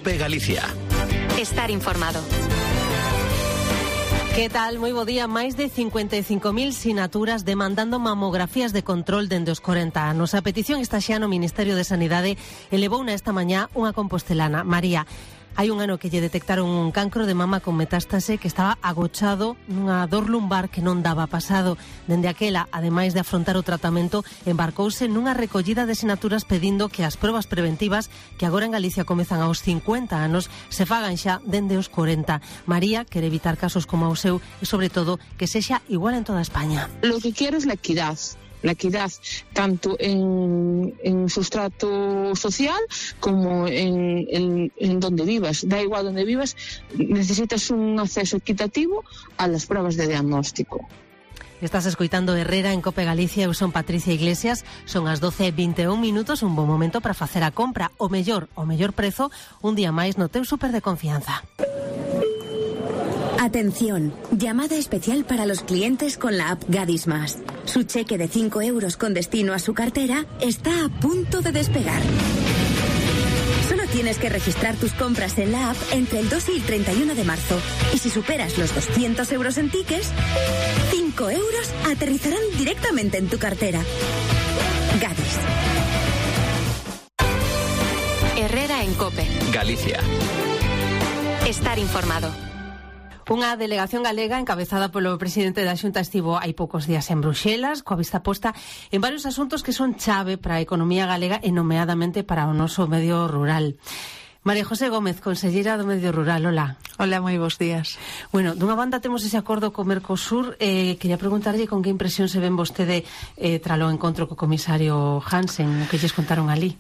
COPE Galicia. Estar informado. Que tal? Moi bo día. Máis de 55.000 sinaturas demandando mamografías de control dende os 40 anos. A petición está xa no Ministerio de Sanidade. Elevouna esta mañá unha compostelana, María. Hai un ano que lle detectaron un cancro de mama con metástase que estaba agochado nunha dor lumbar que non daba pasado. Dende aquela, ademais de afrontar o tratamento, embarcouse nunha recollida de sinaturas pedindo que as probas preventivas, que agora en Galicia comezan aos 50 anos, se fagan xa dende os 40. María quere evitar casos como o seu e, sobre todo, que sexa igual en toda España. Lo que quiero es la equidad tanto en sustrato social como en donde vivas. Da igual donde vivas, necesitas un acceso equitativo a las pruebas de diagnóstico. Estás escoitando Herrera en Cope Galicia. Eu son Patricia Iglesias. Son as 12:21 minutos, un bon momento para facer a compra. O mellor prezo, un día máis no teu súper de confianza. Atención, llamada especial para los clientes con la app Gadis Más. Su cheque de 5 euros con destino a su cartera está a punto de despegar. Solo tienes que registrar tus compras en la app entre el 2 y el 31 de marzo. Y si superas los 200 euros en tickets, 5 euros aterrizarán directamente en tu cartera. Gadis. Herrera en Cope Galicia. Estar informado. Unha delegación galega encabezada polo presidente da Xunta estivo hai poucos días en Bruxelas, coa vista posta en varios asuntos que son chave para a economía galega e nomeadamente para o noso medio rural. María José Gómez, conselleira do Medio Rural, hola. Hola, moi bons días. Bueno, dunha banda temos ese acordo co Mercosur. Quería preguntarlle con que impresión se ven vostede tralo encontro co comisario Hansen, o que lles contaron ali.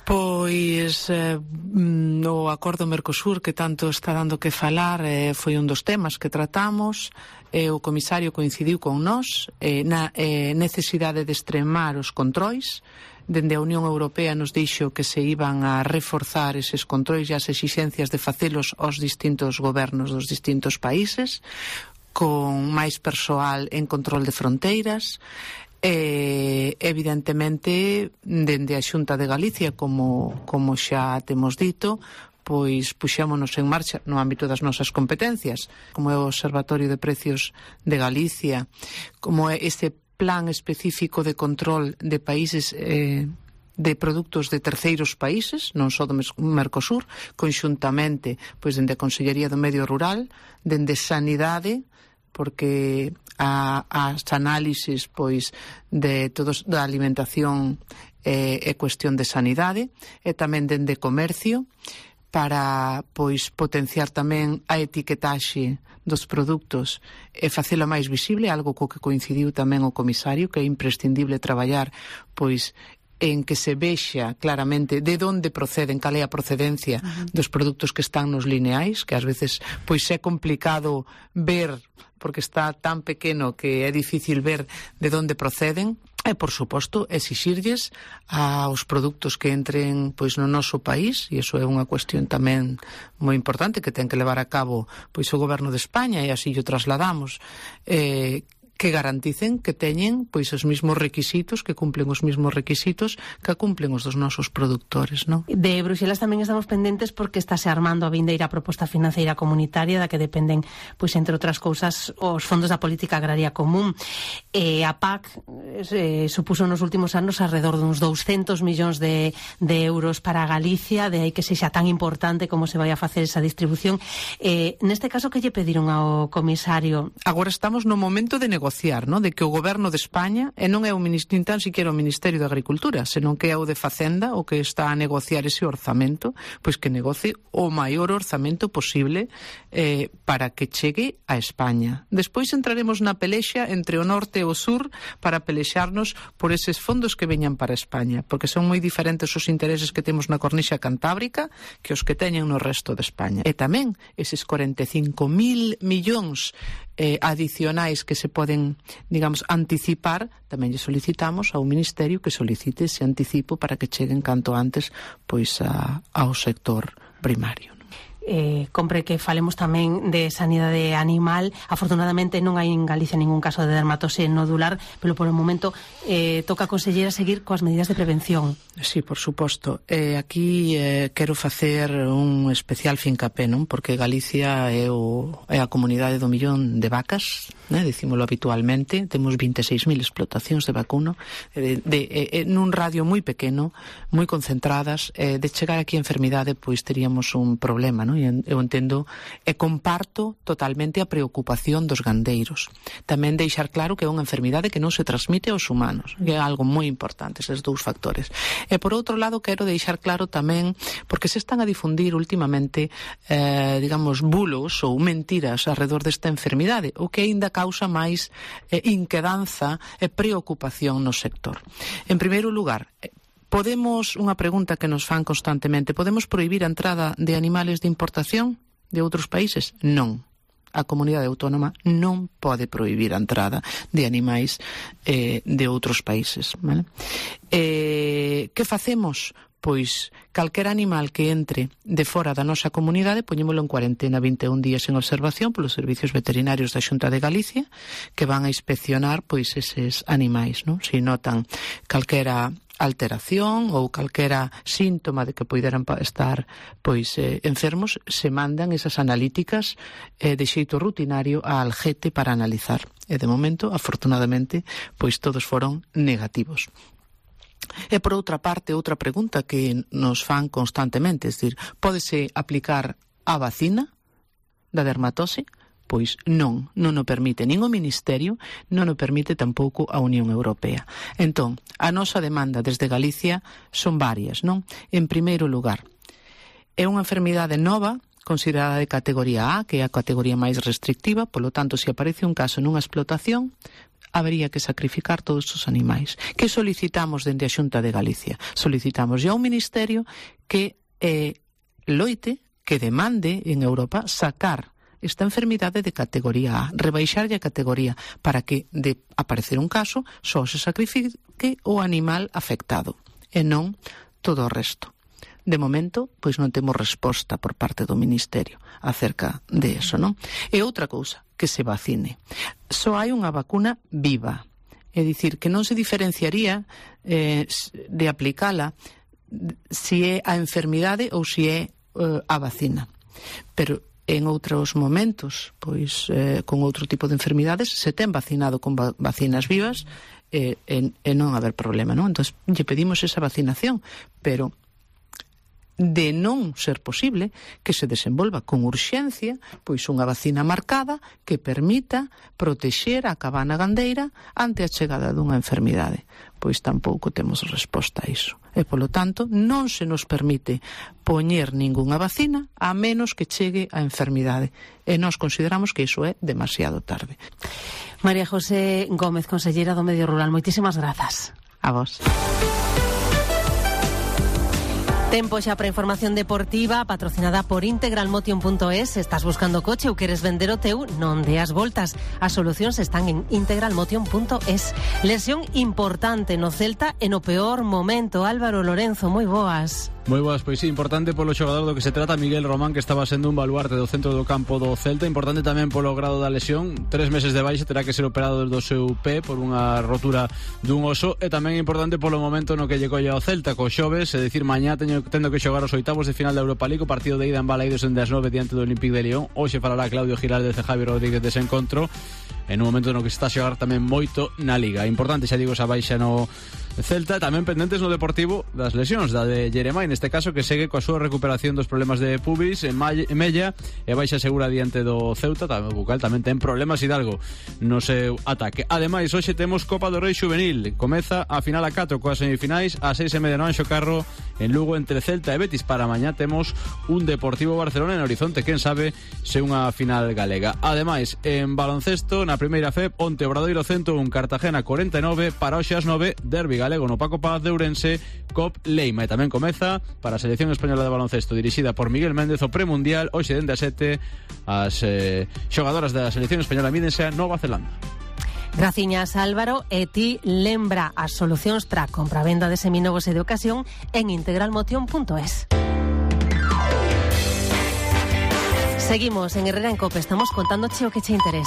Pois o acordo Mercosur que tanto está dando que falar foi un dos temas que tratamos. O comisario coincidiu con nós na necesidade de extremar os controis. Dende a Unión Europea nos dixo que se iban a reforzar eses controis e as exixencias de facelos aos distintos gobernos dos distintos países, con máis persoal en control de fronteiras. Evidentemente dende a Xunta de Galicia, como xa temos dito, pois puxémonos en marcha no ámbito das nosas competencias, como é o Observatorio de Precios de Galicia, como é este plan específico de control de países de produtos de terceiros países, non só do Mercosur, conxuntamente pois dende a Consellería do Medio Rural, dende Sanidade, porque as análises pois de todos da alimentación é cuestión de sanidade, e tamén dende comercio para pois potenciar tamén a etiquetaxe dos produtos e facela máis visible, algo co que coincidiu tamén o comisario, que é imprescindible traballar pois en que se vexa claramente de onde proceden, cal é a procedencia dos produtos que están nos lineais, que ás veces pois é complicado ver porque está tan pequeno que é difícil ver de onde proceden. E, por suposto, exixirlles aos produtos que entren pois no noso país, e iso é unha cuestión tamén moi importante que ten que levar a cabo pois o Goberno de España, e así o trasladamos, que garanticen que teñen pois os mesmos requisitos, que cumplen os mesmos requisitos que cumplen os dos nosos produtores, non? De Bruxelas tamén estamos pendentes porque estáse armando a vindeira proposta financeira comunitaria da que dependen, pois entre outras cousas, os fondos da Política Agraria Común. A PAC supuso nos últimos anos alrededor duns 200 millóns de euros para Galicia, de aí que sexa tan importante como se vai a facer esa distribución. Neste caso, que lle pediron ao comisario? Agora estamos no momento de negociar, no? De que o Goberno de España, e non é nin tan siquiera o Ministerio de Agricultura, senón que é o de Facenda o que está a negociar ese orzamento, pois que negocie o maior orzamento posible para que chegue a España. Despois entraremos na pelexa entre o norte e o sur para pelexarnos por eses fondos que veñan para España, porque son moi diferentes os intereses que temos na cornixa cantábrica que os que teñen no resto de España. E tamén eses 45.000 millóns adicionais que se poden, digamos, anticipar, tamén lle solicitamos ao Ministerio que solicite ese anticipo para que cheguen canto antes pois ao sector primario. compre que falemos tamén de sanidade animal. Afortunadamente non hai en Galicia ningún caso de dermatose nodular, pero polo momento toca a conselleira seguir coas medidas de prevención. Sí, por suposto. Aquí quero facer un especial fincapé, non? Porque Galicia é a comunidade do millón de vacas, né? Dicímolo habitualmente. Temos 26.000 explotacións de vacuno nun radio moi pequeno, moi concentradas. De chegar aquí a enfermidade, pois teríamos un problema, non? Eu entendo e comparto totalmente a preocupación dos gandeiros. Tamén deixar claro que é unha enfermidade que non se transmite aos humanos, que é algo moi importante, eses dous factores. E por outro lado, quero deixar claro tamén, porque se están a difundir últimamente, digamos, bulos ou mentiras alrededor desta enfermidade, o que aínda causa máis inquedanza e preocupación no sector. En primeiro lugar, unha pregunta que nos fan constantemente, podemos prohibir a entrada de animales de importación de outros países? Non. A comunidade autónoma non pode prohibir a entrada de animais de outros países, vale? Que facemos? Pois calquera animal que entre de fora da nosa comunidade poñémolo en cuarentena 21 días en observación polos servicios veterinarios da Xunta de Galicia, que van a inspeccionar pois eses animais, non? Se notan calquera alteración ou calquera síntoma de que poideran estar pois enfermos, se mandan esas analíticas de xeito rutinario a Algete para analizar. E de momento, afortunadamente, pois todos foron negativos. E por outra parte, outra pregunta que nos fan constantemente, é dicir, pódese aplicar a vacina da dermatose? Pois non o permite nin o Ministerio, non o permite tampouco a Unión Europea. Entón, a nosa demanda desde Galicia son varias, non? En primeiro lugar, é unha enfermidade nova, considerada de categoría A, que é a categoría máis restrictiva, polo tanto, se aparece un caso nunha explotación, habería que sacrificar todos os animais. Que solicitamos dende a Xunta de Galicia? Solicitamos ao Ministerio que loite, que demande en Europa sacar esta enfermidade de categoría A, rebaixarlle a categoría para que, de aparecer un caso, só se sacrifique o animal afectado e non todo o resto. De momento, pois non temos resposta por parte do Ministerio acerca de eso, non? E outra cousa, que se vacine. Só hai unha vacuna viva, é dicir, que non se diferenciaría de aplicala se é a enfermidade ou se é a vacina. Pero en outros momentos, pois con outro tipo de enfermidades, se ten vacinado con vacinas vivas e non haber problema, non? Entón, lle pedimos esa vacinación, pero de non ser posible que se desenvolva con urxencia pois unha vacina marcada que permita protexer a cabana gandeira ante a chegada dunha enfermidade. Pois tampouco temos resposta a iso. E, polo tanto, non se nos permite poñer ningunha vacina a menos que chegue a enfermidade. E nós consideramos que iso é demasiado tarde. María José Gómez, conselleira do Medio Rural, moitísimas grazas. A vos. Tempo xa para información deportiva patrocinada por integralmotion.es. Estás buscando coche ou queres vender o teu? Non deas voltas. As solucións están en integralmotion.es. Lesión importante no Celta e no peor momento. Álvaro Lorenzo, moi boas. Moi boas, pois sí, importante polo xogador do que se trata, Miguel Román, que estaba sendo un baluarte do centro do campo do Celta. Importante tamén polo grado da lesión, 3 meses de baixa, terá que ser operado do seu pé por unha rotura dun oso. E tamén importante polo momento no que lle colle ao Celta co xoves, é dicir, mañá tendo que xogar os oitavos de final da Europa League, o partido de ida en Balaidos en das 9 diante do Olympique de Lyon. Hoxe falará Claudio Giraldez e Javi Rodríguez dese encontro, en un momento no que se está a xogar tamén moito na Liga. Importante, xa digo, esa baixa no Celta, tamén pendentes no Deportivo das lesións, da de Jeremai, neste caso, que segue coa súa recuperación dos problemas de pubis en Mella, e baixa segura diante do Ceuta. Tamén o Bucal tamén ten problemas Hidalgo no seu ataque. Ademais, hoxe temos Copa do Rei Xuvenil, comeza a final a 4 coas semifinais a 6:30 no Anxo Carro en Lugo entre Celta e Betis. Para mañá temos un Deportivo Barcelona en Horizonte, quen sabe se unha final galega. Ademais, en baloncesto, na primeira FEP, onte Obradoiro 101, Cartagena 49, para hoxe ás 9, derbi galego no Paco Paz de Ourense, Cop Leima. E tamén comeza para a selección española de baloncesto dirixida por Miguel Méndez o premundial. Hoxe dende a 7 as xogadoras da selección española mídense a Nova Zelanda. Graciñas, Álvaro. E ti lembra as solucións tra compra-venda de seminovos e de ocasión en integralmotion.es. Seguimos en Herrera en COPE, estamos contándoche o que che interesa.